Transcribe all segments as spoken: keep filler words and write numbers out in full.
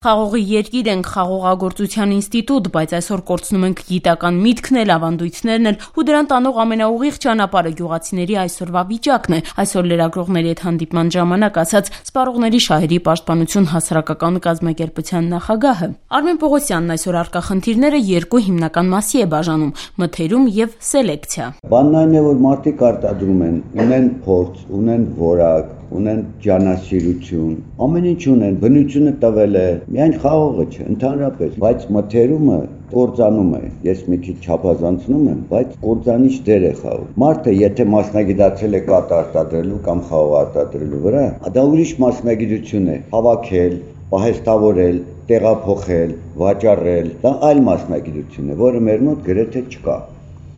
Խաղողի երկիր ենք, խաղողագործության ինստիտուտ, բայց այսօր կորցնում ենք գիտական միտքն էլ, ավանդույթներն էլ ու դրան տանող ամենաուղիղ ճանապարհը գյուղացիների այսօրվա վիճակն է։ Այսօր լրագրողների հետ հանդիպման ժամանակ ասաց Սպառողների շահերի պաշտպանություն հասարակական կազմակերպության նախագահը։ Արմեն Պողոսյանն այսօր առկա խնդիրները երկու հիմնական մասի է բաժանում՝ մթերում եւ սելեկցիա։ Բանն այն է, որ մարդիկ արտադրում են, ունեն փորձ, ունեն որակ, ունեն ջանասիրություն, ամեն ինչ ունեն, բնությունը տվել է, միայն խաղողը չէ, ընդհանրապես, բայց մթերումը կործանում է, ես մի քիչ չափազանցնում եմ, բայց կործանիչ դեր է խաղում։ Մարդը եթե մասնագիտացել է կաթ արտադրելու կամ խաղող արտադրելու վրա, դա ուրիշ մասնագիտություն է, հավաքել, պահեստավորել, տեղափոխել, վաճառել, դա այլ մասնագիտություն է, որը մեր մոտ գրեթե չկա։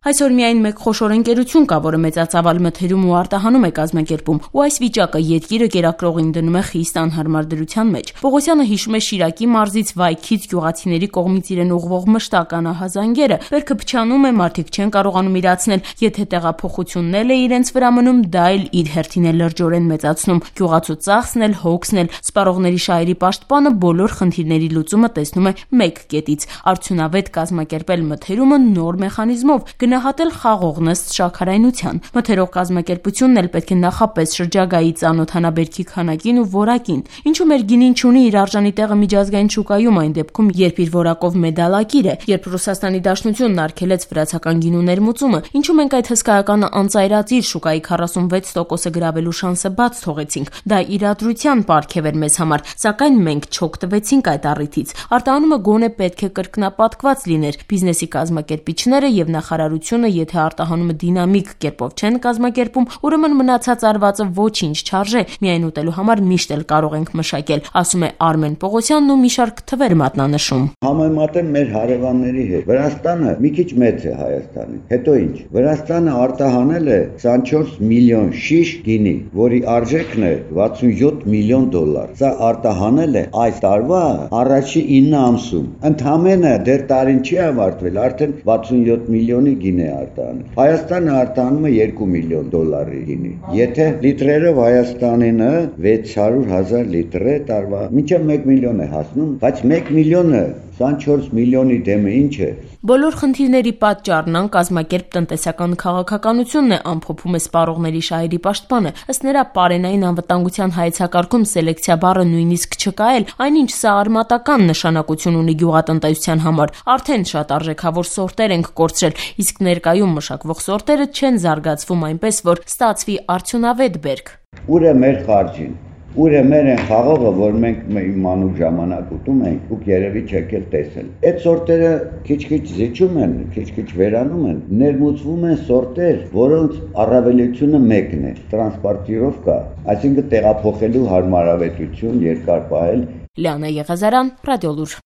Այսօր միայն մեկ խոշոր ընկերություն կա, որը մեծածավալ մթերում ու արտահանում է կազմակերպում, ու այս վիճակը երկիրը կերակրողին դնում է խիստ անհարմար դրության մեջ։ Պողոսյանը հիշում է Շիրակի մարզից Վայքից գյուղացիների կողմից իրեն ուղղվող մշտական ահազանգերը։ Բերքը փչանում է, մարդիկ չեն կարողանում իրացնել, եթե տեղափոխությունն էլ է իրենց վրա մնում, դա էլ իր հերթին է լրջորեն մեծացնում։ Գյուղացու ծախսն էլ, հոգսն էլ։ Սպառողների շահերի պաշտպանը բոլոր խնդիրների լուծումը տեսնում է մեկ կետից՝ արդյունավետ կազմակերպել մթերումը նոր մեխանիզմով, գնահատել խաղողն ըստ շաքարայնության։ Մթերող կազմակերպությունն էլ պետք է նախապես շրջագայի ծանոթանա բերքի քանակին ու որակին, ինչու մեր գինին չունի իր արժանի տեղը միջազգային շուկայում այն դեպքում, երբ իր որակով մեդալակիր է, երբ Ռուսաստանի Դաշնությունն արգելեց վրացական գինու ներմուծումը, ինչու մենք այդ հսկայական անծայրածիր շուկայի քառասունվեց տոկոսը գրավելու շանսը բաց թողեցինք։ Դա իրադրության պարգև էր մեզ համար, սակայն մենք չօգտվեցինք այդ առիթից։ Արտահանումը գոնե պետք է կրկնապատկված լիներ։ Բիզնեսի կազմակերպիչները եւ նախարարությունը, եթե արտահանումը դինամիկ կերպով չեն կազմակերպում, ուրեմն մնացած արվածը ոչինչ չարժե, միայն ուտելու համար միշտ էլ կարող ենք մշակել, ասում է Արմեն Պողոսյանն ու մի շարք թվեր մատնանշում։ Համեմատեմ մեր հարևանների հետ, Վրաստանը մի քիչ մեծ է Հայաստանից, հետո ինչ, Վրաստանը արտահանել է քսանչորս միլիոն շիշ գինի, որի արժեքն է վաթսունյոթ միլիոն դոլար։ Սա արտահանել է այս տարվա առաջի ինը ամսում։ Ընդամենը դեռ տարին չի ավարտվել, արդեն վաթսունյոթ միլիոնի գինի է արտահանում։ Հայաստանը արտահանում է երկու միլիոն դոլարի գինի։ Եթե լիտրերով Հայաստանինը վեց հարյուր հազար լիտր է տարվա, մինչև մեկ միլիոն է հասնում, բայց մեկ միլիոնը քսանչորս միլիոնի դեմը ինչ է։ Բոլոր խնդիրների պատճառն անկազմակերպ տնտեսական քաղաքականությունն է, ամփոփում է Սպառողների շահերի պաշտպանը։ Ըստ նրա, պարենային անվտանգության հայեցակարգում սելեկցիա բառը նույնիսկ չկա էլ, այնինչ սա արմատական նշանակություն ունի գյուղատնտեսության համար։ Արդեն շատ արժեքավոր սորտեր ենք կորցրել, իսկ ներկայում մշակվող սորտերը չեն զարգացվում այնպես, որ ստացվի արդյունավետ բերք։ Ուր է մեր խարճին։ Ուր է մեր են խաղողը, որ մենք մանուկ ժամանակ ուտում ենք, դուք երևի չեք էլ տեսել։ Այդ սորտերը քիչ-քիչ զիջում են, քիչ-քիչ վերանում են, ներմուծվում են սորտեր, որոնց առավելությունը մեկն է՝ տրանսպորտիրովկա, այսինքն տեղափոխելու հարմարավետություն, երկար պահել։ Լիանա Եղազարյան, Ռադիոլուր։